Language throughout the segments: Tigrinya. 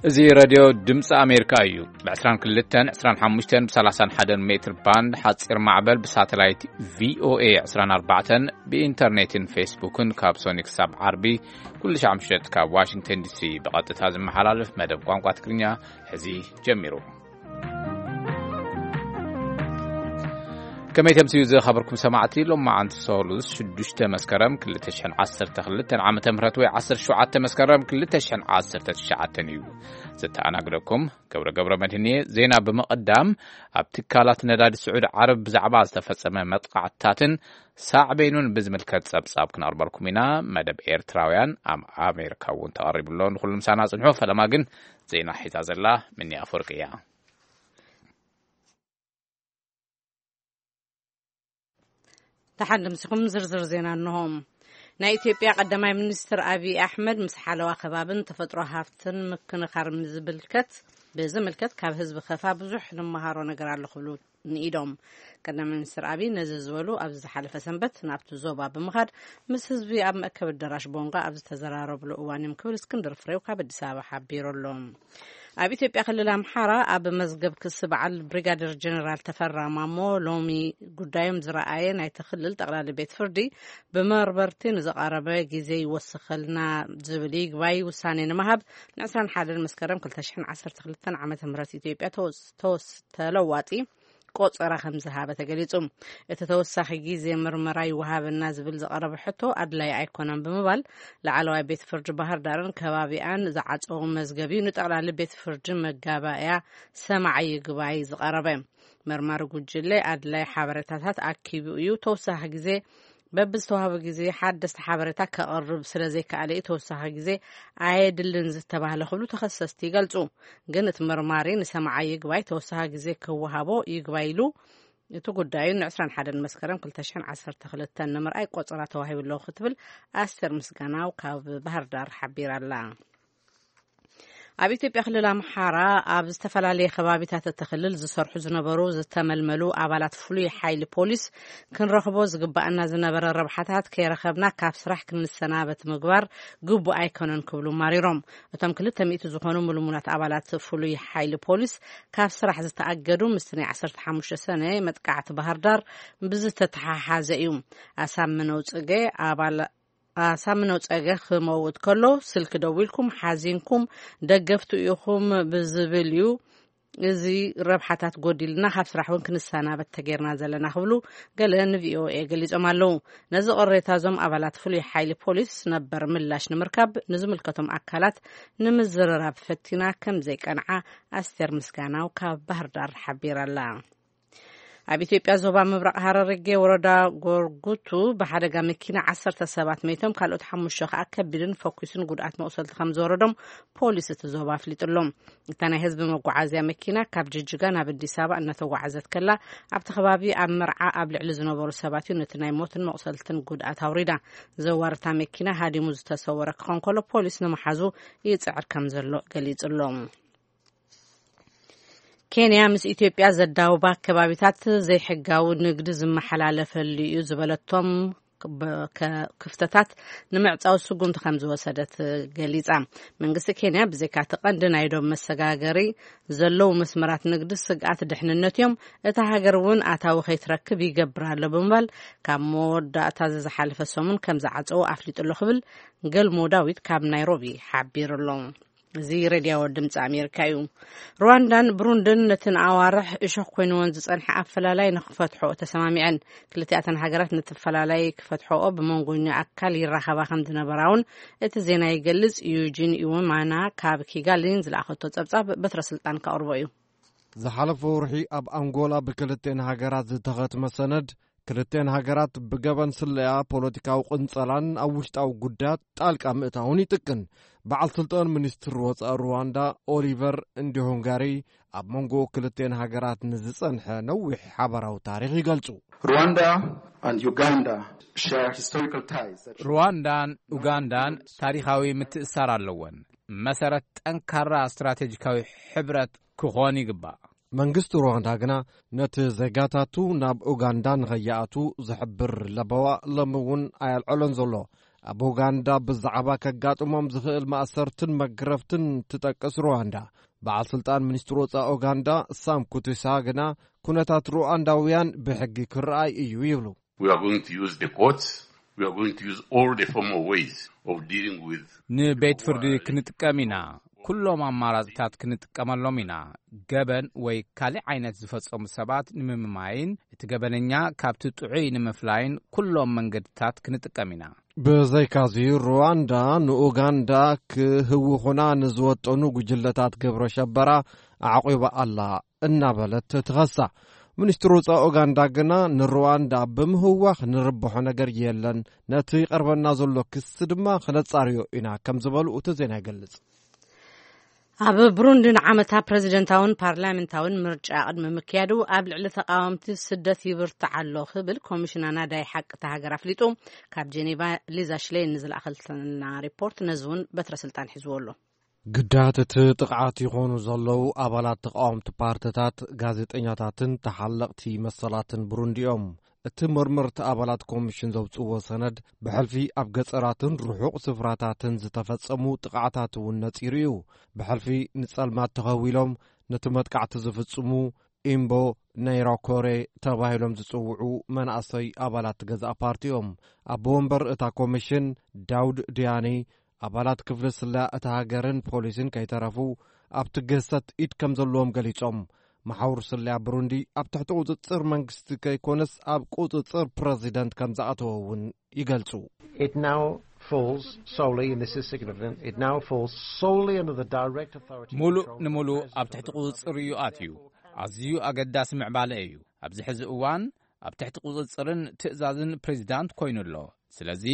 እዚ ሬድዮ ድምፂ ኣሜሪካ እዩ። ብ22፣ 25፣ ብ31 ሜትር ባንድ ሓፂር ማዕበል፣ ብሳተላይት ቪኦኤ 24፣ ብኢንተርኔትን ፌስቡክን ካብ ሶኒ ክሳብ ዓርቢ ኩሉ ሻዕ ምሸት ካብ ዋሽንግተን ዲሲ ብቐጥታ ዝመሓላለፍ መደብ ቋንቋ ትግርኛ ሕዚ ጀሚሩ። ከመይ ተምስዩ ዝኸበርኩም ሰማዕቲ፣ ሎማዓንቲ ሰሉስ ሽዱሽተ መስከረም ክልተ ሽሕን ዓሰርተ ክልተን ዓመተ ምህረት ወይ ዓሰርተ ሸውዓተ መስከረም ክልተ ሽሕን ዓሰርተ ትሽዓተን እዩ። ዘተኣናግደኩም ገብረ ገብረ መድህን እየ። ዜና ብምቕዳም፣ ኣብ ትካላት ነዳዲ ስዑዲ ዓረብ ብዛዕባ ዝተፈጸመ መጥቃዕትታትን ሳዕቤኑን ብዝምልከት ጸብጻብ ክነቕርበልኩም ኢና። መደብ ኤርትራውያን ኣብ ኣሜሪካ እውን ተቐሪቡ ኣሎ። ንኹሉ ምሳና ጽንሑ። ፈለማ ግን ዜና ሒዛ ዘላ ምኒ ኣፈወርቂ እያ። ደሓን ድምስኹም ዝርዝር ዜና እንሆ። ናይ ኢትዮጵያ ቀዳማይ ሚኒስትር ኣብይ ኣሕመድ ምስ ሓለዋ ከባብን ተፈጥሮ ሃፍትን ምክንኻር ዝምልከት ብዝምልከት ካብ ህዝቢ ከፋ ብዙሕ ንመሃሮ ነገር ኣሎ ክብሉ ንኢዶም። ቀዳማይ ሚኒስትር ኣብይ ነዚ ዝበሉ ኣብዚ ዝሓለፈ ሰንበት ናብቲ ዞባ ብምኻድ ምስ ህዝቢ ኣብ መእከቢ ኣዳራሽ ቦንጋ ኣብ ዝተዘራረብሉ እዋን እዮም ክብል እስክንድር ፍሬው ካብ ኣዲስ ኣበባ ሓቢሩ ኣሎ። ኣብ ኢትዮጵያ ክልል ኣምሓራ ኣብ መዝገብ ክሲ በዓል ብሪጋደር ጀነራል ተፈራ ማሞ ሎሚ ጉዳዮም ዝረኣየ ናይቲ ክልል ጠቕላሊ ቤት ፍርዲ ብመርመርቲ ንዝቐረበ ግዜ ይወስኸልና ዝብል ይግባይ ውሳኔ ንምሃብ ን21 መስከረም ክልተ ሽሕን ዓሰርተ ክልተን ዓመተ ምህረት ኢትዮጵያ ተወስ-፣ ተወስ-፣ ተለዋጢ ቆጸራ ከም ዝሃበ ተገሊጹ። እቲ ተወሳኺ ግዜ ምርመራ ይወሃበና ዝብል ዝቐረበ ሕቶ ኣድላይ ኣይኮነን ብምባል ላዕለዋይ ቤት ፍርዲ ባህር ዳርን ከባቢኣን ዝዓጸዎ መዝገብ እዩ ንጠቕላሊ ቤት ፍርዲ መጋባእያ ሰማዒ ይግባይ ዝቐረበ። መርማሪ ጉጅለ ኣድላይ ሓበሬታታት ኣኪቡ እዩ። ተወሳኺ ግዜ በብዝተዋህበ ግዜ ሓደስቲ ሓበሬታ ከቕርብ ስለ ዘይከኣለ እዩ ተወሳኺ ግዜ ኣየድልን ዝተባህለ ክብሉ ተኸሰስቲ ይገልጹ። ግን እቲ መርማሪ ንሰማዓይ ይግባይ ተወሳኺ ግዜ ክወሃቦ ይግባይ ኢሉ። እቲ ጉዳዩ ን21 መስከረም ክልተ ሽሕን ዓሰርተ ክልተን ንምርኣይ ቆጸራ ተዋሂቡ ኣሎ ክትብል ኣስቴር ምስጋናው ካብ ባህር ዳር ሓቢራ ኣላ። ኣብ ኢትዮጵያ ክልል ኣምሓራ ኣብ ዝተፈላለየ ከባቢታት እቲ ክልል ዝሰርሑ ዝነበሩ ዝተመልመሉ ኣባላት ፍሉይ ሓይሊ ፖሊስ ክንረኽቦ ዝግባኣና ዝነበረ ረብሓታት ከይረኸብና ካብ ስራሕ ክንሰናበት ምግባር ግቡእ ኣይኮነን ክብሉ ማሪሮም። እቶም ክልተ ሚእቲ ዝኾኑ ምልሙላት ኣባላት ፍሉይ ሓይሊ ፖሊስ ካብ ስራሕ ዝተኣገዱ ምስቲ ናይ ዓሰርተ ሓሙሽተ ሰነ መጥቃዕቲ ባህር ዳር ብዝተተሓሓዘ እዩ። ኣሳምነው ጽገ ኣባል ኣሳምነው ጸገ ክመውት ከሎ ስልኪ ደዊልኩም ሓዚንኩም ደገፍቱ ኢኹም ብዝብል እዩ እዚ ረብሓታት ጎዲልና ካብ ስራሕ እውን ክንሰናበት ተጌርና ዘለና ክብሉ ገለ ንቪኦኤ ገሊጾም ኣለዉ። ነዚ ቅሬታ እዞም ኣባላት ፍሉይ ሓይሊ ፖሊስ ነበር ምላሽ ንምርካብ ንዝምልከቶም ኣካላት ንምዝርራብ ፈቲና ከም ዘይቀንዓ ኣስቴር ምስጋናው ካብ ባህር ዳር ሓቢራ ኣላ። ኣብ ኢትዮጵያ ዞባ ምብራቕ ሃረርጌ ወረዳ ጎርጉቱ ብሓደጋ መኪና ዓሰርተ ሰባት መይቶም ካልኦት ሓሙሽተ ከኣ ከቢድን ፈኲስን ጉድኣት መቑሰልቲ ከም ዝወረዶም ፖሊስ እቲ ዞባ ኣፍሊጡ ኣሎ። እታ ናይ ህዝቢ መጓዓዝያ መኪና ካብ ጅጅጋ ናብ ኣዲስ ኣበባ እናተጓዓዘት ከላ ኣብቲ ከባቢ ኣብ መርዓ ኣብ ልዕሊ ዝነበሩ ሰባት እዩ ነቲ ናይ ሞትን መቑሰልትን ጉድኣት ኣውሪዳ። ዘዋርታ መኪና ሃዲሙ ዝተሰወረ ክኸውን ከሎ ፖሊስ ንመሓዙ ይጽዕር ከም ዘሎ ገሊጹ ኣሎ። ኬንያ ምስ ኢትዮጵያ ዘዳውባ ከባቢታት ዘይሕጋዊ ንግዲ ዝመሓላለፈሉ እዩ ዝበለቶም በ-፣ ከ-፣ ክፍተታት ንምዕጻው ስጉምቲ ከም ዝወሰደት ገሊጻ። መንግስቲ ኬንያ ብዘይካ እቲ ቀንዲ ናይ ዶብ መሰጋገሪ ዘለዉ መስመራት ንግዲ ስግኣት ድሕንነት እዮም፣ እታ ሃገር እውን ኣታዊ ከይትረክብ ይገብር ኣሎ ብምባል ካብ መወዳእታ ዝሓለፈ ሰሙን ከም ዝዓጸዎ ኣፍሊጡ ኣሎ ክብል ገልሞ ዳዊት ካብ ናይሮቢ ሓቢሩ ኣሎ። እዚ ሬድዮ ድምፂ ኣሜሪካ እዩ። ሩዋንዳን ብሩንድን ነቲ ንኣዋርሕ እሾኽ ኮይንዎን ዝጸንሐ ኣፈላላይ ንኽፈትሖ ተሰማሚዐን። ክልቲኣተን ሃገራት ነቲ ኣፈላላይ ክፈትሖኦ ብመንጎኛ ኣካል ይራኸባ ከም ዝነበራ እውን እቲ ዜና ይገልጽ። ዩጂን ኢወማና ካብ ኪጋሊን ዝለኣኸቶ ጸብጻብ በትረ ስልጣን ከቕርቦ እዩ። ዝሓለፈ ወርሒ ኣብ ኣንጎላ ብክልቴን ሃገራት ዝተኸትመ ሰነድ ክልቴን ሃገራት ብገበን ስለያ፣ ፖለቲካዊ ቅንጸላን ኣብ ውሽጣዊ ጉዳያት ጣልቃ ምእታውን ይጥቅን። በዓል ስልጣን ሚኒስትሪ ወጻኢ ሩዋንዳ ኦሊቨር እንዲሆንጋሪ ኣብ መንጎ ክልቴን ሃገራት ንዝጸንሐ ነዊሕ ሓባራዊ ታሪኽ ይገልጹ። Rwanda and Uganda share historical ties that ሩዋንዳን ኡጋንዳን ታሪኻዊ ምትእሳር ኣለወን። መሰረት ጠንካራ ስትራቴጂካዊ ሕብረት ክኾን ይግባእ። መንግስቲ ሩዋንዳ ግና ነቲ ዜጋታቱ ናብ ኡጋንዳ ንኸይኣቱ ዝሕብር ለበዋ ሎሚ እውን ኣየልዐሎን ዘሎ። ኣብ ኡጋንዳ ብዛዕባ ከጋጥሞም ዝኽእል ማእሰርትን መግረፍትን ትጠቅስ ሩዋንዳ። በዓል ስልጣን ሚኒስትሪ ወጻኢ ኡጋንዳ ሳም ኩቱሳ ግና ኩነታት ሩዋንዳውያን ብሕጊ ክረኣይ እዩ ይብሉ። We are going to use the courts. We are going to use all the formal ways of dealing with ንቤት ፍርዲ ክንጥቀም ኢና። ኩሎም ኣማራፅታት ክንጥቀመሎም ኢና። ገበን ወይ ካልእ ዓይነት ዝፈጸሙ ሰባት ንምምማይን እቲ ገበነኛ ካብቲ ጥዑይ ንምፍላይን ኩሎም መንገድታት ክንጥቀም ኢና። ብዘይካዚ ሩዋንዳ ንኡጋንዳ ክህውኹና ንዝወጠኑ ጉጅለታት ግብረ ሸበራ ኣዕቂባ ኣላ እናበለት ትኸሳ። ሚኒስትሪ ወጻኢ ኡጋንዳ ግና ንሩዋንዳ ብምህዋኽ ንርብሖ ነገር የለን፣ ነቲ ይቐርበና ዘሎ ክሲ ድማ ክነጻርዮ ኢና ከም ዝበሉ እቲ ዜና ይገልጽ። ኣብ ብሩንዲ ንዓመታ ፕረዚደንታውን ፓርላሜንታውን ምርጫ ቅድሚ ምክያዱ ኣብ ልዕሊ ተቃወምቲ ስደት ይብርትዕ ኣሎ ክብል ኮሚሽን ኣናዳይ ሓቂ እታ ሃገር ኣፍሊጡ። ካብ ጄኔቫ ሊዛ ሽሌን ንዝለኣኸልና ሪፖርት ነዚ እውን በትረ ስልጣን ሒዝዎ ኣሎ። ግዳያት እቲ ጥቕዓት ይኾኑ ዘለዉ ኣባላት ተቃወምቲ ፓርትታት፣ ጋዜጠኛታትን ተሓለቕቲ መሰላትን ብሩንዲ እዮም። እቲ መርመርቲ ኣባላት ኮሚሽን ዘውጽእዎ ሰነድ ብሕልፊ ኣብ ገጸራትን ርሑቕ ስፍራታትን ዝተፈጸሙ ጥቕዓታት እውን ነጺሩ እዩ። ብሕልፊ ንጸልማት ተኸዊሎም ነቲ መጥቃዕቲ ዝፍጽሙ ኢምቦ ነይራኮሬ ተባሂሎም ዝጽውዑ መናእሰይ ኣባላት ገዛእ ፓርቲ እዮም። ኣቦ ወንበር እታ ኮሚሽን ዳውድ ድያኒ ኣባላት ክፍሊ ስለያ እታ ሃገርን ፖሊስን ከይተረፉ ኣብቲ ግህሰት ኢድ ከም ዘለዎም ገሊጾም። መሓውር ስለያ ብሩንዲ ኣብ ትሕቲ ቁጽጽር መንግስቲ ከይኮነስ ኣብ ቁጽጽር ፕረዚደንት ከም ዝኣተወ እውን ይገልጹ። It now falls solely, and this is significant, it now falls solely under the direct authority and ሙሉእ control of the ንምሉእ President ኣብ ትሕቲ of the ቁጽጽር እዩ ኣትዩ። ኣዝዩ ኣገዳሲ ምዕባለ እዩ። ኣብዚ ሕዚ እዋን ኣብ ትሕቲ ቁጽጽርን ትእዛዝን ፕሬዚዳንት ኮይኑ ኣሎ። ስለዚ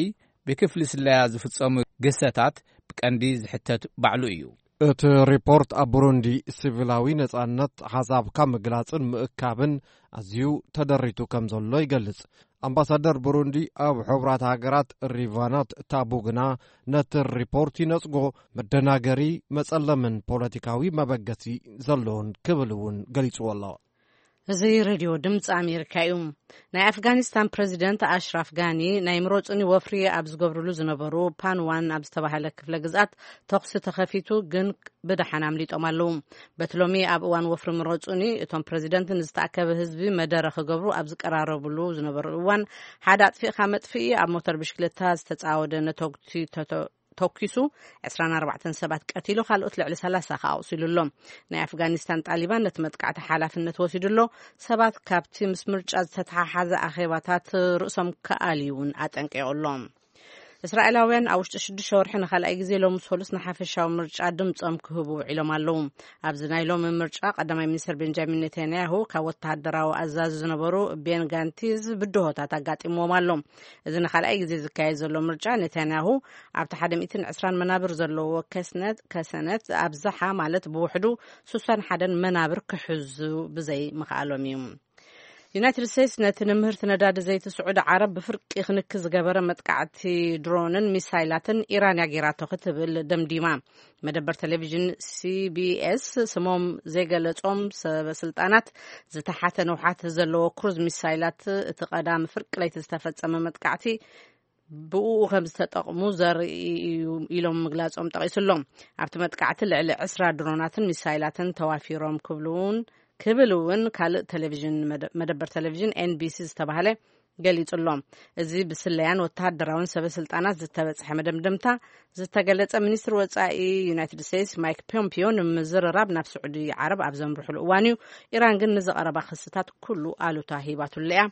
ብክፍሊ ስለያ ዝፍጸሙ ግህሰታት ብቀንዲ ዝሕተት ባዕሉ እዩ። እቲ ሪፖርት ኣብ ብሩንዲ ሲቪላዊ ነጻነት ሓሳብካ ምግላጽን ምእካብን ኣዝዩ ተደሪቱ ከም ዘሎ ይገልጽ። ኣምባሳደር ብሩንዲ ኣብ ሕቡራት ሃገራት ሪቫናት ታቡ ግና ነቲ ሪፖርት ይነጽጎ፣ መደናገሪ፣ መጸለምን ፖለቲካዊ መበገሲ ዘለዎን ክብል እውን ገሊጽዎ ኣሎ። እዚ ሬድዮ ድምፂ ኣሜሪካ እዩ። ናይ ኣፍጋኒስታን ፕረዚደንት ኣሽራፍ ጋኒ ናይ ምረፁኒ ወፍሪ ኣብ ዝገብርሉ ዝነበሩ ፓንዋን ኣብ ዝተባሃለ ክፍለ ግዝኣት ተኹሲ ተኸፊቱ፣ ግን ብደሓን ኣምሊጦም ኣለዉ። በቲ ሎሚ ኣብ እዋን ወፍሪ ምረፁኒ እቶም ፕረዚደንት ንዝተኣከበ ህዝቢ መደረ ክገብሩ ኣብ ዝቀራረብሉ ዝነበሩ እዋን፣ ሓደ ኣጥፊእካ መጥፍኢ ኣብ ሞተር ብሽክለታ ዝተፃወደ ነተጉቲ ተተ- ተኪሱ ዕስራን ኣርባዕተን ሰባት ቀቲሉ፣ ካልኦት ልዕሊ ሰላሳ ከኣ ኣቑሲሉ ኣሎ። ናይ ኣፍጋኒስታን ጣሊባን ነቲ መጥቃዕቲ ሓላፍነት ወሲዱ ኣሎ። ሰባት ካብቲ ምስ ምርጫ ዝተተሓሓዘ ኣኼባታት ርእሶም ክኣልዩ እውን ኣጠንቂቑ ኣሎ። እስራኤላውያን ኣብ ውሽጢ ሽዱሽተ ወርሒ ንኻልኣይ ግዜ ሎሚ ሰሉስ ንሓፈሻዊ ምርጫ ድምጾም ክህቡ ውዒሎም ኣለዉ። ኣብዚ ናይ ሎሚ ምርጫ ቀዳማይ ሚኒስትር ቤንጃሚን ኔታንያሁ ካብ ወተሃደራዊ ኣዛዚ ዝነበሩ ቤን ጋንቲዝ ብድሆታት ኣጋጢምዎም ኣሎ። እዚ ንኻልኣይ ግዜ ዝካየድ ዘሎ ምርጫ ኔታንያሁ ኣብቲ ሓደ ሚእትን ዕስራን መናብር ዘለዎ ከስነት፣ ከሰነት ኣብዝሓ ማለት ብውሕዱ ስሳን ሓደን መናብር ክሕዙ ብዘይ ምኽኣሎም እዩ። ዩናይትድ ስቴትስ ነቲ ንምህርቲ ነዳዲ ዘይቲ ስዑዲ ዓረብ ብፍርቂ ክንኪ ዝገበረ መጥቃዕቲ ድሮንን ሚሳይላትን ኢራን እያ ገይራቶ ክትብል ደምዲማ። መደበር ቴሌቪዥን ሲቢኤስ ስሞም ዘይገለጾም ሰበ ስልጣናት ዝተሓተ ንውሓት ዘለዎ ክሩዝ ሚሳይላት እቲ ቀዳሚ ፍርቂ ለይቲ ዝተፈጸመ መጥቃዕቲ ብእኡ ከም ዝተጠቕሙ ዘርኢ እዩ ኢሎም ምግላጾም ጠቒሱ ኣሎ። ኣብቲ መጥቃዕቲ ልዕሊ ዕስራ ድሮናትን ሚሳይላትን ተዋፊሮም ክብሉ እውን ክብል እውን ካልእ ቴሌቪዥን መደ- መደበር ቴሌቪዥን ኤንቢሲ ዝተባህለ ገሊጹ ኣሎ። እዚ ብስለያን ወተሃደራውን ሰበ ስልጣናት ዝተበጽሐ መደምደምታ ዝተገለጸ ሚኒስትሪ ወጻኢ ዩናይትድ ስቴትስ ማይክ ፖምፒዮ ንምዝርራብ ናብ ስዑዲ ዓረብ ኣብ ዘምርሕሉ እዋን እዩ። ኢራን ግን ንዝቐረባ ክስታት ኩሉ ኣሉታ ሂባትሉ እያ።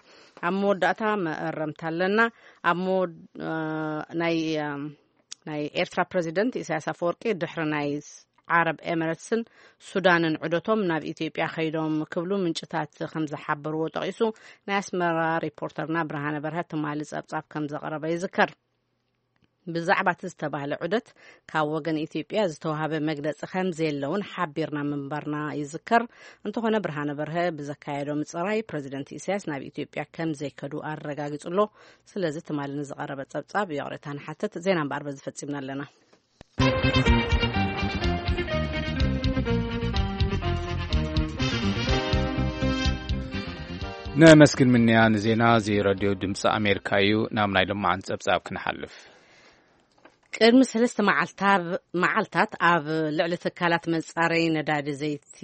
ኣብ መወዳእታ መእረምታ ኣለና። ኣብ መወድ- እ፣ ናይ እ፣ ናይ ኤርትራ ፕረዚደንት ኢሳያስ ኣፈወርቂ ድሕሪ ናይ ዓረብ ኤምረትስን ሱዳንን ዑደቶም ናብ ኢትዮጵያ ከይዶም ክብሉ ምንጭታት ከም ዝሓበርዎ ጠቒሱ፣ ናይ ኣስመራ ሪፖርተርና ብርሃነ በርሀ ትማሊ ጸብጻብ ከም ዘቕረበ ይዝከር። ብዛዕባ እቲ ዝተባህለ ዑደት ካብ ወገን ኢትዮጵያ ዝተዋሃበ መግለጺ ከም ዘየለውን ሓቢርና ምንባርና ይዝከር። እንተኾነ ብርሃነ በርሀ ብዘካየዶ ምጽራይ ፕረዚደንት ኢሳያስ ናብ ኢትዮጵያ ከም ዘይከዱ ኣረጋጊጹ ኣሎ። ስለዚ ትማሊ ንዝቐረበ ጸብጻብ ይቕሬታ ንሓተት። ዜና እምበኣር በዚ ፈጺምና ኣለና። ነመስግን ምንያ ንዜና እዚ ረድዮ ድምፂ ኣሜሪካ እዩ። ናብ ናይ ልማዓን ጸብጻብ ክንሓልፍ። ቅድሚ ሰለስተ መዓልታ-፣ መዓልታት ኣብ ልዕሊ ትካላት መጻረይ ነዳዲ ዘይቲ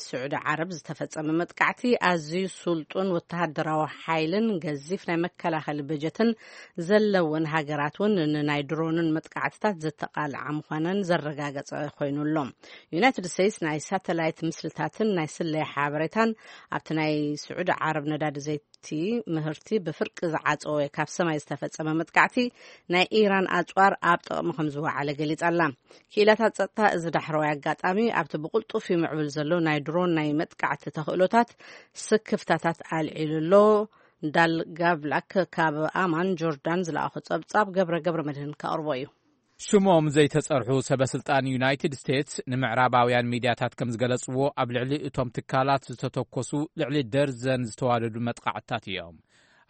ስዑዲ ዓረብ ዝተፈጸመ መጥቃዕቲ፣ ኣዝዩ ስልጡን ወተሃደራዊ ሓይልን ገዚፍ ናይ መከላኸሊ በጀትን ዘለወን ሃገራት እውን ንናይ ድሮንን መጥቃዕትታት ዘተቓልዓ ምዃነን ዘረጋገጸ ኮይኑ ኣሎ። ዩናይትድ ስቴትስ ናይ ሳተላይት ምስልታትን ናይ ስለያ ሓበሬታን ኣብቲ ናይ ስዑዲ ዓረብ ነዳዲ ዘይቲ ምህርቲ ብፍርቂ ዝዓጸወ ካብ ሰማይ ዝተፈጸመ መጥቃዕቲ ናይ ኢራን ኣጽዋር ኣብ ጥቕሚ ከም ዝወዓለ ገሊጻ ኣላ። ክኢላታት ጸጥታ እዚ ዳሕረዋይ ኣጋጣሚ ኣብቲ ብቕልጡፍ ይምዕብል ዘሎ ናይ ድሮን ናይ መጥቃዕቲ ተኽእሎታት ስክፍታታት ኣልዒሉ ኣሎ። ዳል ጋቭላክ ካብ ኣማን ጆርዳን ዝለኣኾ ጸብጻብ ገብረ ገብረ መድህን ከቕርቦ እዩ። ሽሞም ዘይተጸርሑ ሰበ ስልጣን ዩናይትድ ስቴትስ ንምዕራባውያን ሚድያታት ከም ዝገለጽዎ፣ ኣብ ልዕሊ እቶም ትካላት ዝተተኮሱ ልዕሊ ደርዘን ዝተዋደዱ መጥቃዕትታት እዮም።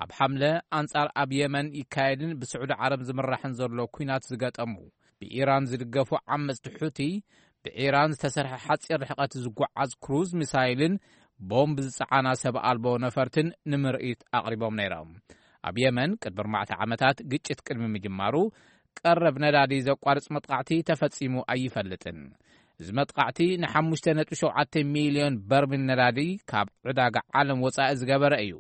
ኣብ ሓምለ፣ ኣንጻር ኣብ የመን ይካየድን ብስዑዲ ዓረብ ዝምራሕን ዘሎ ኲናት ዝገጠሙ፣ ብኢራን ዝድገፉ ዓመጽቲ ሑቲ፣ ብኢራን ዝተሰርሐ ሓጺር ርሕቀት ዝጓዓዝ ክሩዝ ሚሳይልን ቦምብ ዝጸዓና ሰብ ኣልቦ ነፈርትን ንምርኢት ኣቕሪቦም ነይሮም። ኣብ የመን ቅድሚ ኣርባዕተ ዓመታት ግጭት ቅድሚ ምጅማሩ፣ ቀረብ ነዳዲ ዘቋርጽ መጥቃዕቲ ተፈጺሙ ኣይፈልጥን። እዚ መጥቃዕቲ ን5.7 ሚልዮን በርሚል ነዳዲ ካብ ዕዳጋ ዓለም ወጻኢ ዝገበረ እዩ።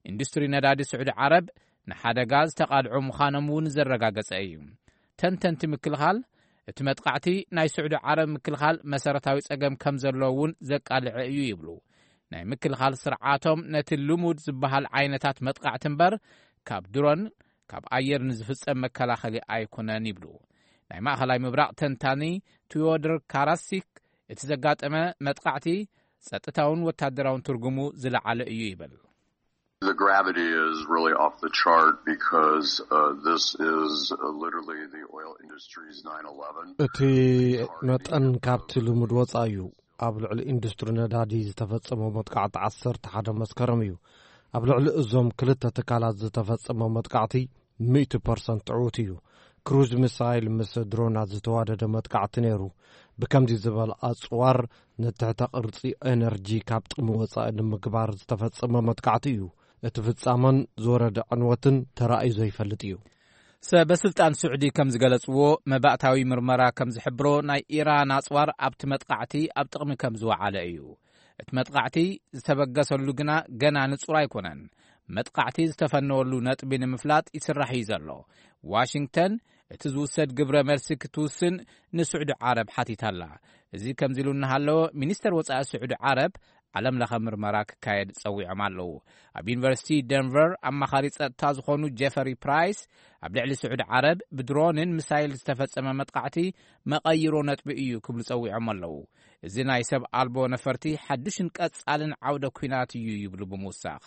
ኢንዱስትሪ ነዳዲ ስዑዲ ዓረብ ንሓደጋ ዝተቓልዑ ምዃኖም እውን ዘረጋገጸ እዩ። ተንተንቲ ምክልኻል፣ እቲ መጥቃዕቲ ናይ ስዑዲ ዓረብ ምክልኻል መሰረታዊ ጸገም ከም ዘለዎ እውን ዘቃልዐ እዩ ይብሉ። ናይ ምክልኻል ስርዓቶም ነቲ ልሙድ ዝበሃል ዓይነታት መጥቃዕቲ እምበር፣ ካብ ድሮን፣ ካብ ኣየር ንዝፍጸም መከላኸሊ ኣይኮነን ይብሉ። ናይ ማእኸላይ ምብራቕ ተንታኒ ቲዮድር ካራሲክ፣ እቲ ዘጋጠመ መጥቃዕቲ ጸጥታውን ወታደራውን ትርጉሙ ዝለዓለ እዩ ይብል። The gravity is really off the chart because, uh, this is, uh, literally the oil industry's nine eleven. እቲ መጠን ካብቲ ልሙድ ወጻኢ እዩ። ኣብ ልዕሊ ኢንዱስትሪ ነዳዲ ዝተፈጸመ መጥቃዕቲ ዓሰርተ ሓደ መስከረም እዩ። ኣብ ልዕሊ እዞም ክልተ ትካላት ዝተፈጸመ መጥቃዕቲ ሚእቲ ፐርሰንት ዕዉት እዩ። ክሩዝ ሚሳይል ምስ ድሮናት ዝተዋደደ መጥቃዕቲ ነይሩ። ብከምዚ ዝበለ ኣጽዋር ንትሕተ ቅርጺ ኤነርጂ ካብ ጥቕሚ ወጻኢ ንምግባር ዝተፈጸመ መጥቃዕቲ እዩ። እቲ ፍጻመን ዝወረደ ዕንወትን ተራእዩ ዘይፈልጥ እዩ። ሰበ ስልጣን ስዑዲ ከም ዝገለጽዎ፣ መባእታዊ ምርመራ ከም ዝሕብሮ፣ ናይ ኢራን ኣጽዋር ኣብቲ መጥቃዕቲ ኣብ ጥቕሚ ከም ዝወዓለ እዩ። እቲ መጥቃዕቲ ዝተበገሰሉ ግና ገና ንጹር ኣይኮነን። መጥቃዕቲ ዝተፈነወሉ ነጥቢ ንምፍላጥ ይስራሕ እዩ ዘሎ። ዋሽንግተን እቲ ዝውሰድ ግብረ መልሲ ክትውስን ንስዑዲ ዓረብ ሓቲታ ኣላ። እዚ ከምዚ ኢሉ እናሃለወ፣ ሚኒስተር ወጻኢ ስዑዲ ዓረብ ዓለም ለኸ ምርመራ ክካየድ ጸዊዖም ኣለዉ። ኣብ ዩኒቨርሲቲ ደንቨር ኣማኻሪ ጸጥታ ዝኾኑ ጀፈሪ ፕራይስ፣ ኣብ ልዕሊ ስዑዲ ዓረብ ብድሮንን ሚሳይል ዝተፈጸመ መጥቃዕቲ መቐይሮ ነጥቢ እዩ ክብሉ ጸዊዖም ኣለዉ። እዚ ናይ ሰብ ኣልቦ ነፈርቲ ሓድሽን ቀጻልን ዓውደ ኲናት እዩ ይብሉ ብምውሳኽ።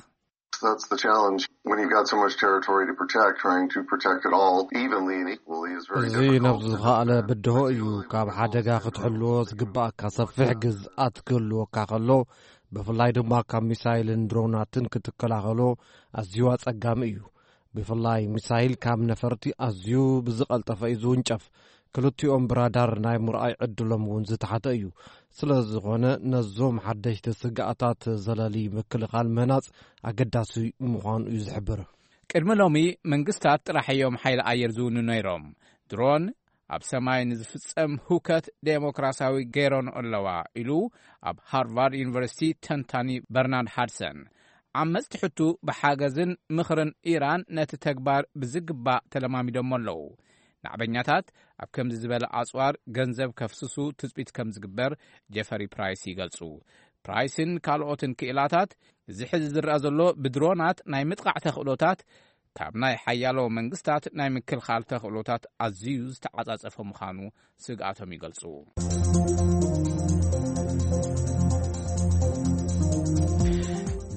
That's the challenge. When you've got so much territory to protect, trying to protect it all evenly and equally is very እዚ difficult. ነብዚ ዝኸኣለ ብድሆ እዩ። ካብ ሓደጋ ክትሕልዎ ዝግባኣካ ሰፊሕ ግዝኣት ክህልወካ ከሎ፣ ብፍላይ ድማ ካብ ሚሳይልን ድሮናትን ክትከላኸሎ ኣዝዩ ኣጸጋሚ እዩ። ብፍላይ ሚሳይል ካብ ነፈርቲ ኣዝዩ ብዝቐልጠፈ እዩ ዝውንጨፍ። ክልቲኦም ብራዳር ናይ ምርኣይ ዕድሎም እውን ዝተሓተ እዩ። ስለ ዝኾነ ነዞም ሓደሽቲ ስግኣታት ዘለሊ ምክልኻል ምህናጽ ኣገዳሲ ምዃኑ እዩ ዝሕብር። ቅድሚ ሎሚ መንግስታት ጥራሕ እዮም ሓይሊ ኣየር ዝውኑ ነይሮም። ድሮን ኣብ ሰማይ ንዝፍጸም ህውከት ዴሞክራሲያዊ ገይሮን ኣለዋ ኢሉ ኣብ ሃርቫርድ ዩኒቨርሲቲ ተንታኒ በርናርድ ሃድሰን። ዓመጽቲ ሕቱ ብሓገዝን ምኽርን ኢራን ነቲ ተግባር ብዝግባእ ተለማሚዶሞ ኣለዉ። ናዕበኛታት ኣብ ከምዚ ዝበለ ኣጽዋር ገንዘብ ከፍስሱ ትጽቢት ከም ዝግበር ጀፈሪ ፕራይስ ይገልጹ። ፕራይስን ካልኦትን ክኢላታት፣ እዚ ሕዚ ዝረኣ ዘሎ ብድሮናት ናይ ምጥቃዕ ተኽእሎታት ካብ ናይ ሓያሎ መንግስታት ናይ ምክልኻል ተኽእሎታት ኣዝዩ ዝተዓጻጸፈ ምዃኑ ስግኣቶም ይገልጹ።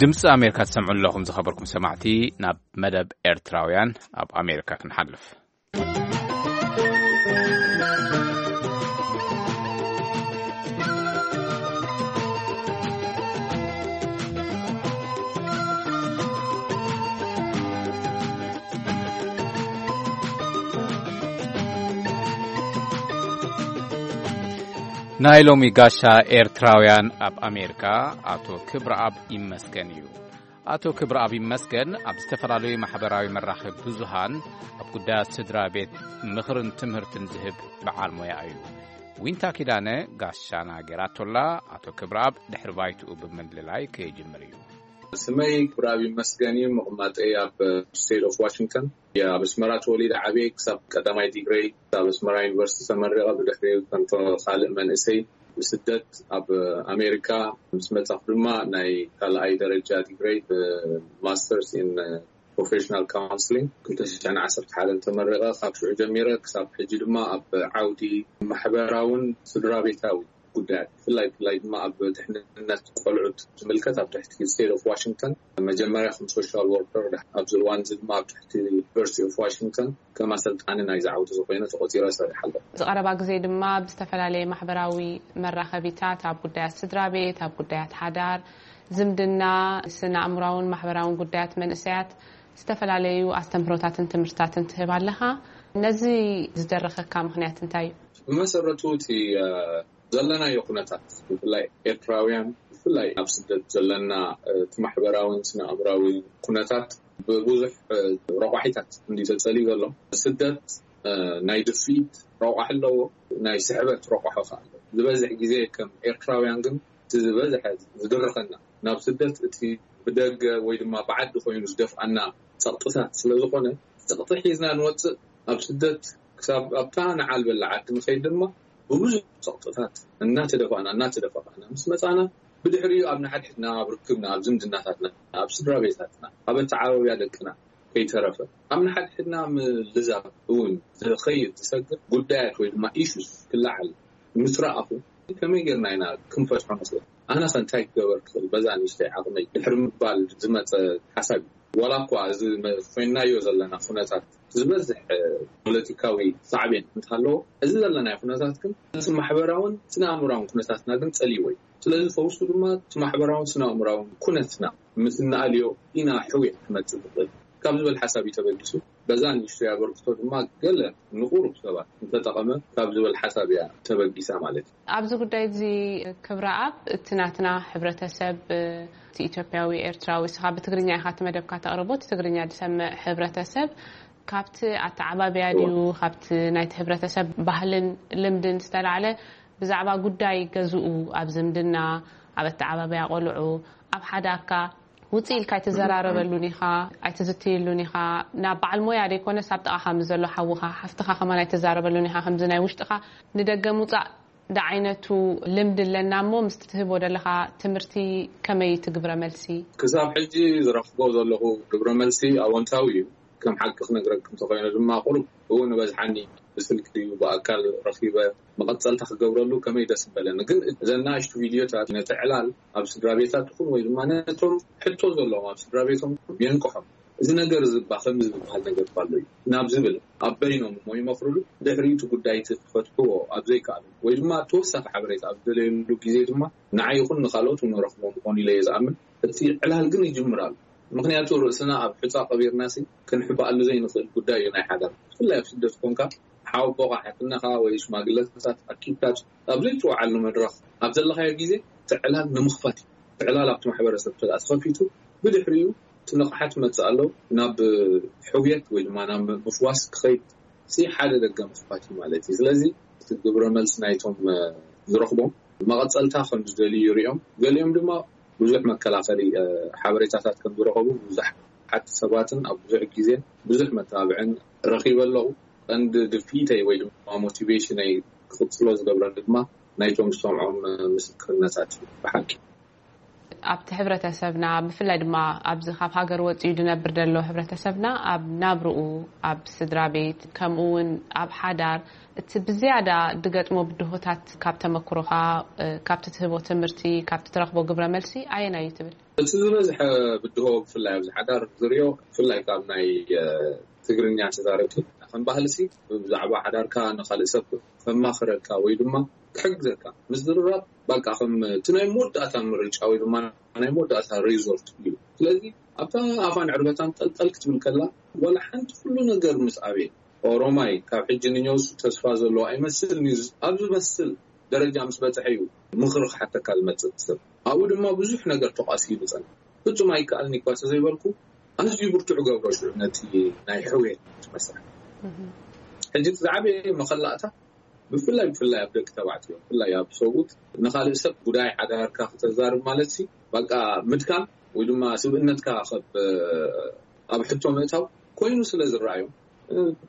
ድምፂ ኣሜሪካ ትሰምዑ ኣለኹም ዝኸበርኩም ሰማዕቲ። ናብ መደብ ኤርትራውያን ኣብ ኣሜሪካ ክንሓልፍ። ናይ ሎሚ ጋሻ ኤርትራውያን ኣብ ኣሜሪካ ኣቶ ክብረኣብ ይመስገን እዩ። ኣቶ ክብረኣብ ይመስገን ኣብ ዝተፈላለዩ ማሕበራዊ መራኸቢ ብዙሃን ኣብ ጉዳያት ስድራ ቤት ምኽርን ትምህርትን ዝህብ በዓል ሞያ እዩ። ዊንታ ኪዳነ ጋሻና ጌራቶላ፣ ኣቶ ክብረኣብ ድሕሪ ባይትኡ ብምልላይ ክጅምር እዩ። ስመይ ክብረኣብ ይመስገን እዩ። ምቕማጠይ ኣብ ስቴት ኦፍ ዋሽንግተን። ኣብ ኣስመራ ተወሊደ ዓብየ። ክሳብ ቀዳማይ ዲግሪ ኣብ ኣስመራ ዩኒቨርሲቲ ተመሪቐ፣ ብድሕሪኡ ከም ካልእ መንእሰይ ብስደት ኣብ ኣሜሪካ ምስ መጻኹ ድማ ናይ ካልኣይ ደረጃ ዲግሪ ብማስተርስ ኢን ፕሮፌሽናል ካውንስሊንግ ክልተ ሽሕን ዓሰርተ ሓደን ተመሪቐ። ካብ ሽዑ ጀሚረ ክሳብ ሕጂ ድማ ኣብ ዓውዲ ማሕበራውን ስድራ ቤታዊ ጉዳያት፣ ብፍላይ ብፍላይ ድማ ኣብ ድሕንነት ቆልዑት ዝምልከት ኣብ ትሕቲ ስቴት ኦፍ ዋሽንግተን መጀመርያ ከም ሶሻል ወርከር፣ ኣብዚ እዋን እዚ ድማ ኣብ ትሕቲ ዩኒቨርሲቲ ኦፍ ዋሽንግተን ከም ኣሰልጣኒ ናይ ዝዓውዲ ዝኾይነ ተቆፂረ ሰሪሕ ኣለኹ። ዝቐረባ ግዜ ድማ ብዝተፈላለየ ማሕበራዊ መራኸቢታት ኣብ ጉዳያት ስድራ ቤት፣ ኣብ ጉዳያት ሓዳር፣ ዝምድና፣ ስነ ኣእምራውን ማሕበራውን ጉዳያት መንእሰያት ዝተፈላለዩ ኣስተምህሮታትን ትምህርትታትን ትህብ ኣለኻ። ነዚ ዝደረኸካ ምኽንያት እንታይ እዩ? ብመሰረቱ እቲ ዘለና ኩነታት፣ ብፍላይ ኤርትራውያን፣ ብፍላይ ኣብ ስደት ዘለና እቲ ማሕበራውን ስነ ኣእምራዊ ኩነታት ብብዙሕ ረቋሒታት እንዲ ተጸልዩ ዘሎ። ስደት ናይ ድፍኢት ረቋሒ ኣለዎ፣ ናይ ስሕበት ረቋሒ ከኣ ኣለዎ። ዝበዝሕ ግዜ ከም ኤርትራውያን ግን እቲ ዝበዝሐ ዝድርኸና ናብ ስደት እቲ ብደገ ወይ ድማ ብዓዲ ኮይኑ ዝደፍኣና ጸቕጥታት ስለ ዝኾነ፣ ጸቕጢ ሒዝና ንወጽእ። ኣብ ስደት ክሳብ ኣብታ ንዓልበላ ዓዲ ንኸይድ ድማ ብብዙሕ ጸቕጥታት እናተደፋእና እናተደፋእና ምስ መጻና፣ ብድሕሪኡ ኣብ ንሓድሕድና፣ ኣብ ርክብና፣ ኣብ ዝምድናታትና፣ ኣብ ስድራ ቤታትና፣ ኣብ ኣተዓባብያ ደቅና ከይተረፈ ኣብ ንሓድሕድና ምልዛብ እውን ዝኸይድ ዝሰግር ጉዳያት ወይ ድማ ኢሹስ ክለዓል ምስ ረኣኹ፣ ከመይ ጌርና ኢና ክንፈትሖ ንኽእል? ኣነ ኸ እንታይ ክገበር ክኽእል? በዛ ንእሽተይ ዓቕመይ ድሕሪ ምባል ዝመጸ ሓሳብ እዩ። ዋላ እኳ እዚ መ-፣ ኮይንናዮ ዘለና ኩነታት ዝበዝሕ ፖለቲካዊ ሳዕቤን እንተሃለዎ፣ እዚ ዘለናዮ ኩነታት ግን እቲ ማሕበራውን ስነ ኣእምራውን ኩነታትና ግን ጸልይዎ እዩ። ስለዚ ፈውሱ ድማ እቲ ማሕበራውን ስነ ኣእምራውን ኩነትና ምስ እንኣልዮ ኢና ሕውየት ክመጽእ ዝኽእል ካብ ዝብል ሓሳብ እዩ ተበጊሱ። በዛ ንእሽተይ ኣበርክቶ ድማ ገለ ንቁሩብ ሰባት እንተጠቐመ ካብ ዝብል ሓሳብ እያ ተበጊሳ ማለት እዩ። ኣብዚ ጉዳይ እዚ ክብረኣብ፣ እቲ ናትና ሕብረተሰብ፣ እቲ ኢትዮጵያዊ ኤርትራዊ፣ እስኻ ብትግርኛ ኢኻ እቲ መደብካ ተቕርቦ፣ እቲ ትግርኛ ዝሰምዕ ሕብረተሰብ ካብቲ ኣተዓባብያ ድዩ፣ ካብቲ ናይቲ ሕብረተሰብ ባህልን ልምድን ዝተላዕለ ብዛዕባ ጉዳይ ገዝኡ፣ ኣብ ዝምድና፣ ኣብ ኣተዓባብያ ቆልዑ፣ ኣብ ሓዳርካ ውፅእ ኢልካ ኣይትዘራረበሉን ኢኻ፣ ኣይትዝትየሉን ኢኻ። ናብ በዓል ሞያ ዘይኮነስ ኣብ ጥቓኻ ምስ ዘሎ ሓውኻ፣ ሓፍትኻ ከማን ኣይትዛረበሉን ኢኻ። ከምዚ ናይ ውሽጥኻ ንደገ ምውፃእ ዳዓይነቱ ልምዲ ኣለና እሞ፣ ምስቲ ትህቦ ዘለኻ ትምህርቲ ከመይ ትግብረ መልሲ? ክሳብ ሕጂ ዝረኽቦ ዘለኹ ግብረ መልሲ ኣወንታዊ እዩ። ከም ሓቂ ክነግረክ እንተኾይነ ድማ፣ ቁሩብ እውን በዝሓኒ ብስልኪ ድዩ ብኣካል ረኺበ መቐጸልታ ክገብረሉ ከመይ ደስ ምበለኒ። ግን እዘን ንኣሽቱ ቪድዮታት ነቲ ዕላል ኣብ ስድራ ቤታት ይኹን ወይ ድማ ነቶም ሕቶ ዘለዎም ኣብ ስድራ ቤቶም የንቅሖም። እዚ ነገር እዚ እባ ከምዚ ዝበሃል ነገር እባ ኣሎ እዩ ናብ ዝብል፣ ኣብ በይኖም እሞ ይመኽሩሉ። ድሕሪኡ እቲ ጉዳይ እቲ ክፈትሕዎ ኣብ ዘይከኣሉ ወይ ድማ ተወሳኺ ሓበሬታ ኣብ ዝደለየሉ ግዜ ድማ ንዓይ ይኹን ንኻልኦት እውን ረኽቦም ይኾኑ ኢለ እየ ዝኣምን። እቲ ዕላል ግን ይጅምር ኣሎ። ምኽንያቱ ርእስና ኣብ ሑጻ ቀቢርናሲ ክንሕበኣሉ ዘይንኽእል ጉዳይ እዩ ናይ ሓዳር። ብፍላይ ኣብ ስደት ኮንካ ሓወቦኻ፣ ሓትነኻ ወይ ሽማግለታት ኣኪብካ ኣብ ዘይትወዓሉ መድረኽ ኣብ ዘለኻዮ ግዜ እቲ ዕላል ንምኽፋት እዩ። እቲ ዕላል ኣብቲ ማሕበረሰብ ተደኣ ተኸፊቱ ብድሕሪኡ እቲ ንቕሓት መጽእ ኣሎ ናብ ሕውየት ወይ ድማ ናብ ምፍዋስ ክኸይድ ሲ ሓደ ደገ ምኽፋት እዩ ማለት እዩ። ስለዚ እቲ ግብረ መልሲ ናይቶም፣ እ፣ ዝረኽቦም መቐጸልታ ከም ዝደልዩ ይሪኦም። ገሊኦም ድማ ብዙሕ መከላኸሊ፣ እ፣ ሓበሬታታት ከም ዝረኸቡ ብዙሓት ሰባትን ኣብ ብዙሕ ግዜን ብዙሕ መተባብዕን ረኺበ ኣለኹ። ቀንዲ ድፍኢተይ ወይ ድማ ሞቲቬሽነይ ክቕጽሎ ዝገብረኒ ድማ ናይቶም ዝሰምዖም፣ እ፣ ምስክርነታት እዩ ብሓቂ። ኣብቲ ሕብረተሰብና፣ ብፍላይ ድማ ኣብዚ ካብ ሃገር ወጺኡ ዝነብር ዘሎ ሕብረተሰብና፣ ኣብ ናብርኡ፣ ኣብ ስድራ ቤት፣ ከምኡ እውን ኣብ ሓዳር፣ እቲ ብዝያዳ ዝገጥሞ ብድሆታት ካብ ተመክሮኻ፣ እ፣ ካብቲ ትህቦ ትምህርቲ፣ ካብቲ ትረኽቦ ግብረ መልሲ ኣየናይ እዩ ትብል? እቲ ዝበዝሐ ብድሆ ብፍላይ ኣብዚ ሓዳር ዝሪኦ፣ ብፍላይ ካብ ናይ፣ እ፣ ትግርኛ ተዛረብቲ፣ ከም ባህልሲ ብዛዕባ ሓዳርካ ንኻልእ ሰብ ከማኽረካ ወይ ድማ ክሕግዘካ ምዝርራብ፣ በቃ ከም እቲ ናይ መወዳእታ ምርጫ ወይ ድማ ናይ መወዳእታ ሪዞርት እዩ። ስለዚ ኣብታ ኣፋን ዕርበታን ጠልጠል ክትብል ከላ፣ ዋላ ሓንቲ ኩሉ ነገር ምስ ኣበየ፣ ኦሮማይ ካብ ሕጂ ንነብሱ ተስፋ ዘለዎ ኣይመስልን እዩ፣ ኣብ ዝመስል ደረጃ ምስ በጽሐ እዩ ምኽሪ ክሓተካ ዝመጽእ ሰብ። ኣብኡ ድማ ብዙሕ ነገር ተቋሲሉ ጸንሐ። ፍጹም ኣይከኣልን እኳ ተዘይበልኩ፣ ኣዝዩ ብርቱዕ ገብሮ ሽዑ ነቲ ናይ ሕውየት መስርሕ። ሕጂ እቲ ዝዓበየ መኸላእታ ብፍላይ ብፍላይ ኣብ ደቂ ተባዕትዮ፣ ብፍላይ ኣብ ሰብኡት፣ ንኻልእ ሰብ ጉዳይ ሓዳርካ ክተዛርብ ማለት ሲ በቃ ምድካም ወይ ድማ ስብእነትካ ከብ ኣብ ሕቶ ምእታው ኮይኑ ስለ ዝረኣዮም፣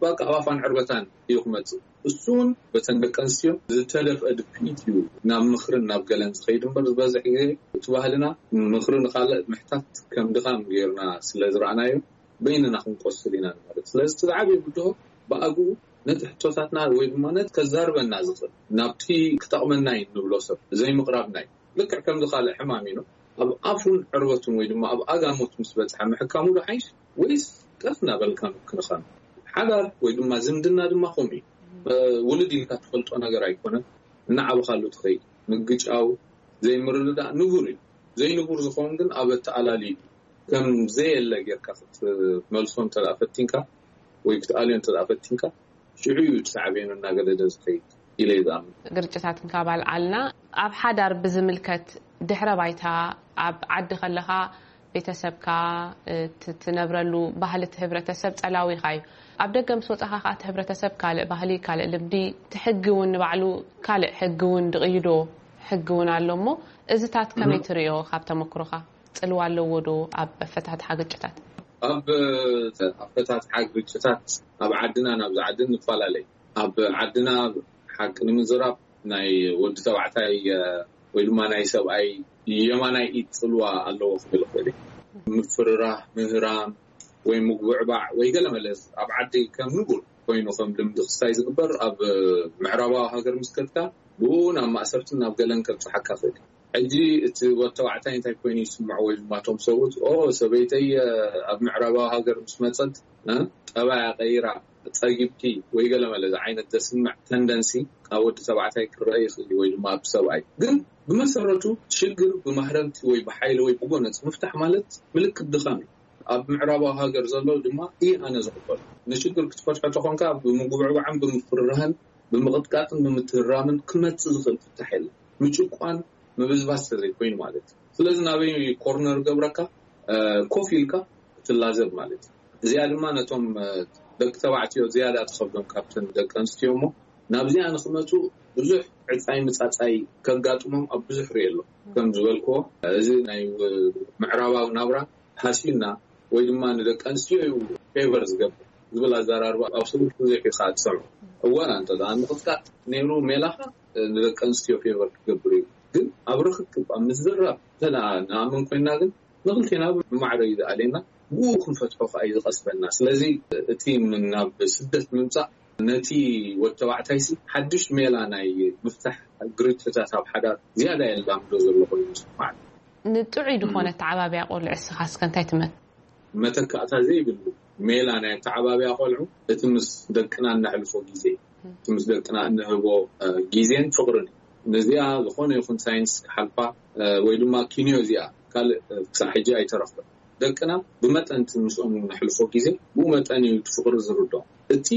በቃ ኣብ ኣፋን ዕርበታን እዩ ክመጽእ። እሱ እውን በተን ደቂ ኣንስትዮ ዝተደፍአ ድፍኢት እዩ ናብ ምኽርን ናብ ገለን ዝኸይድ እምበር፣ ዝበዝሕ ግዜ እቲ ባህልና ምኽሪ ንኻልእ ምሕታት ከም ድኻም ጌርና ስለ ዝረኣናዮ፣ በይንና ክንቆስል ኢና ማለት። ስለዚ እቲ ዝዓበየ ብድሆ ብኣግኡ ነቲ ሕቶታትና ወይ ድማ ነቲ ከዛርበና ዝኽእል ናብቲ ክጠቕመና እዩ ንብሎ ሰብ ዘይምቕራብና እዩ። ልክዕ ከምዚ ካልእ ሕማም እዩ። ኣብ ኣፉን ዕርበቱን ወይ ድማ ኣብ ኣጋሞት ምስ በጽሐ ምሕካሙ ዶ ሓይሽ ወይስ ቀስ እናበልካ ምክንኻኑ? ሓዳር ወይ ድማ ዝምድና ድማ ከምኡ እዩ። ውልድ ኢልካ ትፈልጦ ነገር ኣይኮነን። እናዓበኻሉ ትኸይድ። ምግጫው፣ ዘይምርድዳእ ንቡር እዩ። ዘይንቡር ዝኸውን ግን ኣብ ኣተኣላልዩ እዩ። ከም ዘየለ ጌርካ ክትመልሶ እንተ ደኣ ፈቲንካ ወይ ክትኣልዮ እንተ ደኣ ፈቲንካ፣ ሽዑ እዩ እቲ ሳዕቤኑ እናገደደ ዝኸይድ ኢለ እየ ዝኣምን። ግርጭታት እንካብ ኣልዓልና፣ ኣብ ሓዳር ብዝምልከት ድሕረ ባይታ፣ ኣብ ዓዲ ከለኻ ቤተሰብካ፣ እ፣ ት-፣ ትነብረሉ ባህሊ እቲ ህብረተሰብ ጸላዊኻ እዩ። ኣብ ደገ ምስ ወጻኻ ከኣ እቲ ህብረተሰብ ካልእ ባህሊ፣ ካልእ ልምዲ፣ እቲ ሕጊ እውን ንባዕሉ ካልእ ሕጊ እውን ድቕይዶ ሕጊ እውን ኣሎ እሞ፣ እዚታት ከመይ ትርእዮ ካብ ተመክሮኻ? ጽልዋ ኣለዎ ዶ ኣብ ኣፈታትሓ ግጭታት? ኣብ ኣፈታትሓ ግጭታት ኣብ ዓድና ናብዚ ዓድን ንፈላለይ። ኣብ ዓድና ሓቂ ንምዝራብ ናይ ወዲ ተባዕታይ፣ እ፣ ወይ ድማ ናይ ሰብኣይ የማናይ ኢድ ጽልዋ ኣለዎ ክብል እኽእል እየ። ምፍርራህ፣ ምህራም ወይ ምጉብዕባዕ ወይ ገለ መለስ ኣብ ዓዲ ከም ንቡር ኮይኑ ከም ልምዲ ክስታይ ዝግበር ኣብ ምዕራባዊ ሃገር ምስ ከድካ ብኡ ናብ ማእሰርትን ናብ ገለን ከብጽሓካ ክእል። ሕጂ እቲ ወዲ ተባዕታይ እንታይ ኮይኑ ይስምዖ ወይ ድማ እቶም ሰብኡት፣ "ኦ፣ ሰበይተይ፣ እ፣ ኣብ ምዕራባዊ ሃገር ምስ መጸት፣ እ፣ ጠባያ ቀይራ ጸጊብኪ" ወይ ገለ መለ ዓይነት ዘስምዕ ተንደንሲ ካብ ወዲ ተባዕታይ ክረአ ይኽእል እዩ ወይ ድማ ኣብ ሰብኣይ። ግን ብመሰረቱ ሽግር ብማህረምቲ ወይ ብሓይሊ ወይ ብጎነጽ ምፍታሕ ማለት ምልክት ድኻም እዩ። ኣብ ምዕራባዊ ሃገር ዘሎ ድማ እየ ኣነ ዝቕበሎ። ንሽግር ክትፈትሖ ተኾንካ ብምጉብዕባዕን ብምፍርራህን ብምቕጥቃጥን ብምትህራምን ክመጽእ ዝኽእል ፍታሕ የለን። ምጭቋን ምብዝባዝ ተዘይኮይኑ ማለት እዩ። ስለዚ ናበይ ኮርነር ገብረካ፣ እ፣ ኮፍ ኢልካ ክትላዘብ ማለት እዩ። እዚኣ ድማ ነቶም፣ እ፣ ደቂ ተባዕትዮ ዝያዳ ትኸብዶም ካብተን ደቂ ኣንስትዮ እሞ ናብዚኣ ንክመጹ ብዙሕ ዕጻይ ምጻጻይ ከጋጥሞም ኣብ ብዙሕ ርኢ ኣሎ። ከም ዝበልክዎ፣ እዚ ናይ፣ እ፣ ምዕራባዊ ናብራ ሃሲዩና ወይ ድማ ንደቂ ኣንስትዮ እዩ ፌቨር ዝገብር ዝብል ኣዘራርባ ኣብ ሰብኡት ብዙሕ ኢኻ ትሰምዖ። እወ፣ እንተ ደኣ ምቕጥቃጥ ነይሩ ሜላኻ፣ እ፣ ንደቂ ኣንስትዮ ፌቨር ክገብር እዩ። ግን ኣብ ርኽክብ፣ ኣብ ምዝራብ እንተ ደኣ ንኣምን ኮይና ግን ንኽልቴና ብማዕረ እዩ ዝኣልየና፣ ብኡ ክንፈትሖ ከኣ እዩ ዝቐስበና። ስለዚ እቲ ም-፣ ናብ ስደት ምምጻእ ነቲ ወዲ ተባዕታይሲ ሓድሽ ሜላ ናይ ምፍታሕ ግርጭታት ኣብ ሓዳር ዝያዳ የላምዶ ዘሎ ኮይኑ ይስምዓኒ። ንጥዑይ ዝኾነ ኣተዓባብያ ቆልዑ እስኻ እስከ እንታይ ትመ-? መተካእታ ዘይብሉ ሜላ ናይ ኣተዓባብያ ቆልዑ እቲ ምስ ደቅና እነሕልፎ ግዜ፣ እቲ ምስ ደቅና እንህቦ፣ እ፣ ግዜን ፍቕርን እዩ። ነዚኣ ዝኾነ ይኹን ሳይንስ ክሓልፋ፣ እ፣ ወይ ድማ ኪንዮ እዚኣ ካልእ፣ እ፣ ክሳዕ ሕጂ ኣይተረኽበን። ደቅና ብመጠን እቲ ምስኦም ነሕልፎ ግዜ ብኡ መጠን እዩ እቲ ፍቕሪ ዝርድኦም። እቲ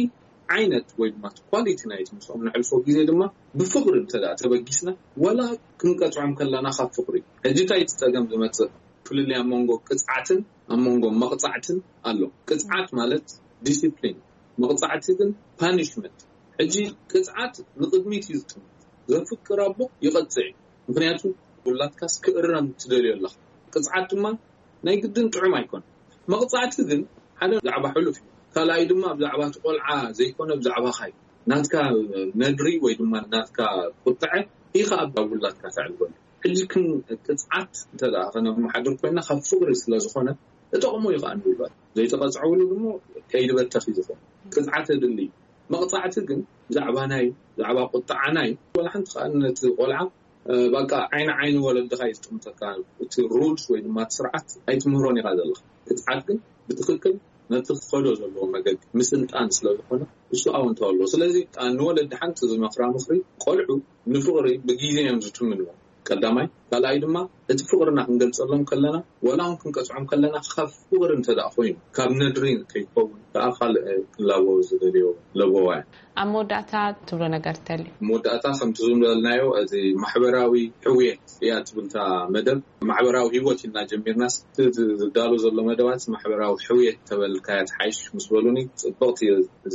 ዓይነት ወይ ድማ እቲ ኳሊቲ ናይቲ ምስኦም ነሕልፎ ግዜ ድማ ብፍቕሪ እንተ ደኣ ተበጊስና፣ ዋላ ክንቀጽዖም ከለና ካብ ፍቕሪ እዩ። ሕጂ እንታይ እቲ ጸገም ዝመጽእ? ፍልልይ ኣብ መንጎ ቅጽዓትን ኣብ መንጎ መቕጻዕትን ኣሎ። ቅጽዓት ማለት ዲሲፕሊን፣ መቕጻዕቲ ግን ፓኒሽመንት። ሕጂ ቅጽዓት ንቕድሚት እዩ ዝጥምት። ዘፍቅር ኣቦ ይቐጽዕ እዩ። ምኽንያቱ ውላድካስ ክእረም ትደልዮ ኣለኻ። ቅጽዓት ድማ ናይ ግድን ጥዑም ኣይኮነን። መቕጻዕቲ ግን ሓደ ብዛዕባ ሕሉፍ እዩ። ካልኣይ ድማ ብዛዕባ እቲ ቆልዓ ዘይኮነ ብዛዕባኻ እዩ። ናትካ ነድሪ ወይ ድማ ናትካ ቁጥዐ ኢኻ ኣብ ውላድካ ተዕልበሉ። ሕጂ ክን ቅጽዓት እንተ ደኣ ከነመሓድር ኮይና ካብ ፍቕሪ ስለ ዝኾነ እጠቕሞ እዩ ከኣ ንውላድ። ዘይተቐጽዐውሉ ድማ ከይዲ በተኽ እዩ ዝኾን። ቅጽዓት የድሊ እዩ። መቕጻዕቲ ግን ብዛዕባና እዩ፣ ብዛዕባ ቁጥዓና እዩ። ዋላ ሓንቲ ከኣ ነቲ ቆልዓ፣ እ፣ በቃ ዓይኒ ዓይኒ ወለድኻ እዩ ዝጥምተካ። እቲ ሩልስ ወይ ድማ እቲ ስርዓት ኣይትምህሮን ኢኻ ዘለኻ። ቅጽዓት ግን ብትኽክል ነቲ ክኸዶ ዘለዎ መገዲ ምስልጣን ስለ ዝኾነ እሱ ኣወንታዊ ኣለዎ። ስለዚ ከኣ ንወለዲ ሓንቲ ዝመኽራ ምኽሪ፣ ቆልዑ ንፍቕሪ ብግዜ እዮም ዝትምንዎ። ቀዳማይ። ካልኣይ ድማ እቲ ፍቕርና ክንገልጸሎም ከለና፣ ዋላ እውን ክንቀጽዖም ከለና ካብ ፍቕሪ እንተ ደኣ ኮይኑ፣ ካብ ነድሪ ከይትኸውን፣ ብኣኻል ክላቦ ዝደልዮ ለበዋ እያ። ኣብ መወዳእታ ትብሎ ነገር ተልዩ? መወዳእታ ከምቲ ዝበልናዮ፣ እዚ ማሕበራዊ ሕውየት እያ ትብል እታ መደብ። ማሕበራዊ ህይወት ኢልና ጀሚርና፣ እቲ ዝዳሎ ዘሎ መደባት ማሕበራዊ ሕውየት ተበልካያ ትሓይሽ ምስ በሉኒ፣ ጽብቕቲ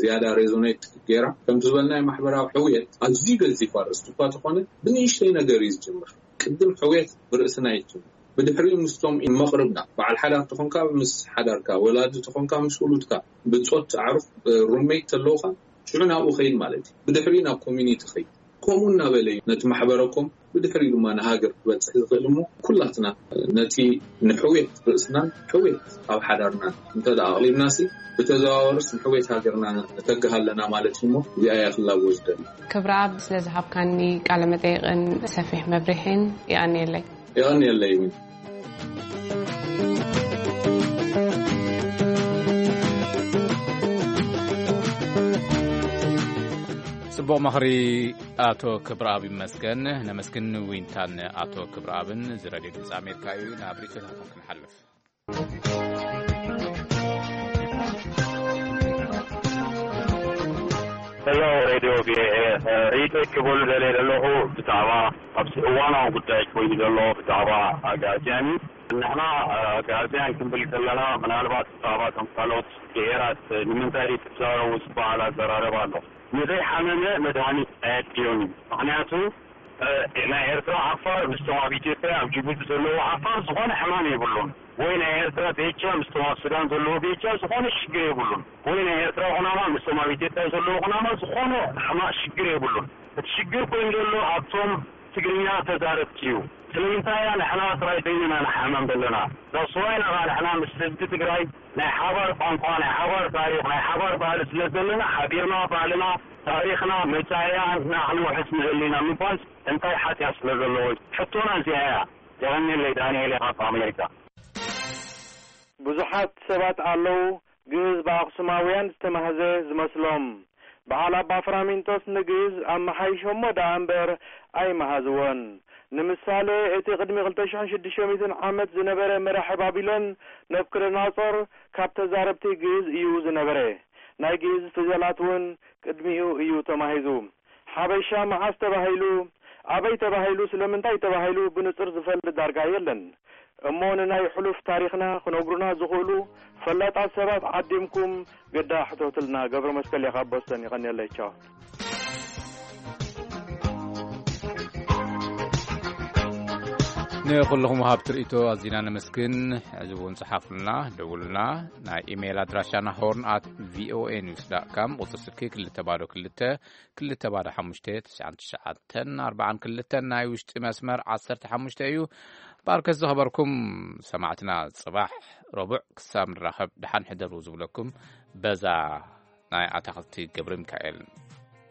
ዝያዳ ሬዞኔት ገይራ። ከምቲ ዝበልናዮ፣ ማሕበራዊ ሕውየት ኣዝዩ ገዚፍ ኣርእስቲ እኳ ተኾነ፣ ብንእሽተይ ነገር እዩ ዝጅምር። ቅድም ሕውየት ብርእስና ይጅምር። ብድሕሪኡ ምስቶም መቕርብና፣ በዓል ሓዳር ተኾንካ ምስ ሓዳርካ፣ ወላዲ ተኾንካ ምስ ውሉድካ፣ ብጾት፣ ኣዕሩኽ፣ ሩሜት ተለውኻ፣ ሽዑ ናብኡ ኸይድ ማለት እዩ። ብድሕሪኡ ናብ ኮሚኒቲ ኸይድ። ከምኡ እናበለ እዩ ነቲ ማሕበረኮም፣ ብድሕሪኡ ድማ ንሃገር ክበጽሕ ዝኽእል። እሞ ኩላትና ነቲ ንሕውየት ርእስናን ሕውየት ኣብ ሓዳርናን እንተ ደኣ ኣቕሊብናሲ፣ ብተዘዋወርስ ንሕውየት ሃገርና ነተግህ ኣለና ማለት እዩ። እሞ እዚኣ እያ ክላቦ ዝደሊ። ክብረ ኣብ፣ ስለ ዝሃብካኒ ቃለ መጠይቕን ሰፊሕ መብርሒን የቐንየለይ። የቐንየለይ እውን። ጽቡቕ ምኽሪ ኣቶ ክብረኣብ ይመስገን። ነመስግን ዊንታን ኣቶ ክብረኣብን። እዚ ሬድዮ ድምፂ ኣሜሪካ እዩ። ናብ ርእይቶታትኩም ክንሓልፍ። ሄሎ ሬድዮ ቪኦኤ፣ ርእይቶይ ክበሉ ደልየ ዘለኹ ብዛዕባ ኣብዚ እዋናዊ ጉዳይ ኮይኑ ዘሎ ብዛዕባ ኣግኣዝያን እዩ። ንሕና ኣግኣዝያን ክንብል ከለና ምናልባት ብዛዕባ እቶም ካልኦት ብሄራት ንምንታይ ዘይትዛረቡ ዝበሃል ኣዘራረባ ኣሎ። ንዘይሓመመ መድሃኒት ኣየድልዮን እዩ። ምኽንያቱ ናይ ኤርትራ ዓፋር ምስቶም ኣብ ኢትዮጵያ ኣብ ጅቡቲ ዘለዉ ዓፋር ዝኾነ ሕማም የብሉን። ወይ ናይ ኤርትራ ቤቻ ምስቶም ኣብ ሱዳን ዘለዉ ቤቻ ዝኾነ ሽግር የብሉን። ወይ ናይ ኤርትራ ኩናማ ምስቶም ኣብ ኢትዮጵያ ዘለዉ ኩናማ ዝኾነ ሕማቕ ሽግር የብሉን። እቲ ሽግር ኮይኑ ዘሎ ኣብቶም ትግርኛ ተዛረብቲ እዩ። ስለምንታይ ኢና ንሕና ጥራይ በይንና ንሓመም ዘለና? ዳስዋይና ኸዓ ንሕና ምስ ህዝቢ ትግራይ ናይ ሓባር ቋንቋ፣ ናይ ሓባር ታሪኽ፣ ናይ ሓባር ባህሊ ስለ ዘለና ሓቢርና ባህልና፣ ታሪኽና፣ መጻኢና ንዓና ክንውሕስ ንኽእል ኢና ምባል እንታይ ሓጢኣት ስለ ዘለዎ? ሕቶና እዚኣ እያ። የቐንየለይ፣ ዳንኤል እየ ካብ ኣሜሪካ። ብዙሓት ሰባት ኣለዉ፣ ግእዝ ብኣኽሱማውያን ዝተማህዘ ዝመስሎም። በዓል ኣባ ፍራሚንጦስ ንግእዝ ኣመሓይሾሞ ደኣ እምበር ኣይመሃዝዎን። ንምሳሌ፣ እቲ ቅድሚ ክልተ ሽሕን ሽዱሽተ ሚእትን ዓመት ዝነበረ መራሒ ባቢሎን ነቡከደነጾር ካብ ተዛረብቲ ግእዝ እዩ ዝነበረ። ናይ ግእዝ ፊደላት እውን ቅድሚኡ እዩ ተማሂዙ። ሓበሻ መዓስ ተባሂሉ፣ ኣበይ ተባሂሉ፣ ስለምንታይ ተባሂሉ ብንጹር ዝፈልጥ ዳርጋ የለን። እሞ ንናይ ሕሉፍ ታሪኽና ክነግሩና ዝኽእሉ ፈላጣት ሰባት ዓዲምኩም ግዳ ሕተቱልና። ገብረ መስቀል እየ ካብ ቦስተን፣ ይቐንየለይ። ቻው። ንኹልኹም ወሃብቲ ርእይቶ ኣዚና ነመስግን። ሕዚ እውን ጸሓፉልና፣ ደውሉልና። ናይ ኢሜይል ኣድራሻና ሆርን ኣት ቪኦኤ ኒውስ ዳት ካም፣ ቁጽሪ ስልኪ ክልተ ባዶ ክልተ፣ ክልተ ባዶ ሓሙሽተ፣ ትሽዓን ትሽዓተን ኣርባዓን ክልተን፣ ናይ ውሽጢ መስመር ዓሰርተ ሓሙሽተ እዩ። ባርከት ዝኸበርኩም ሰማዕትና፣ ጽባሕ ረቡዕ ክሳብ ንራኸብ ደሓን ሕደሩ ዝብለኩም በዛ ናይ ኣታኽልቲ ገብረ ሚካኤል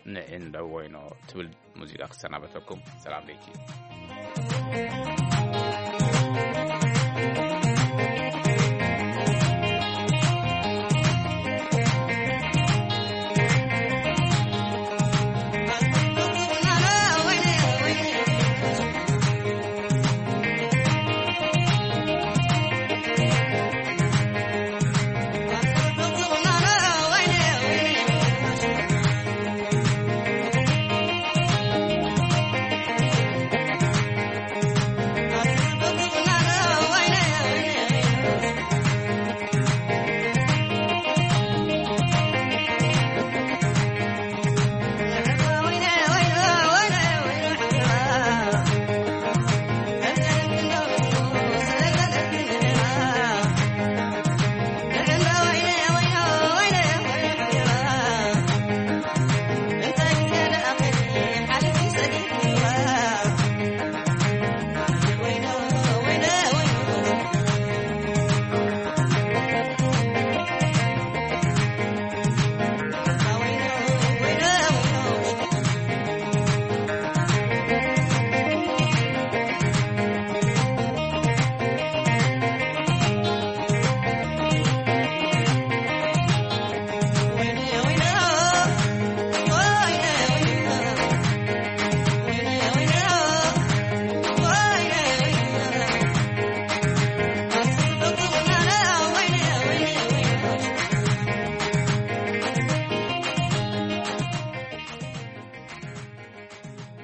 ንዒን ደወይኖ ትብል ሙዚቃ ክሰናበተኩም። ሰላም ለይኪ።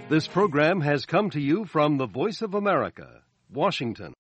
This program has come to you from the Voice of America, Washington.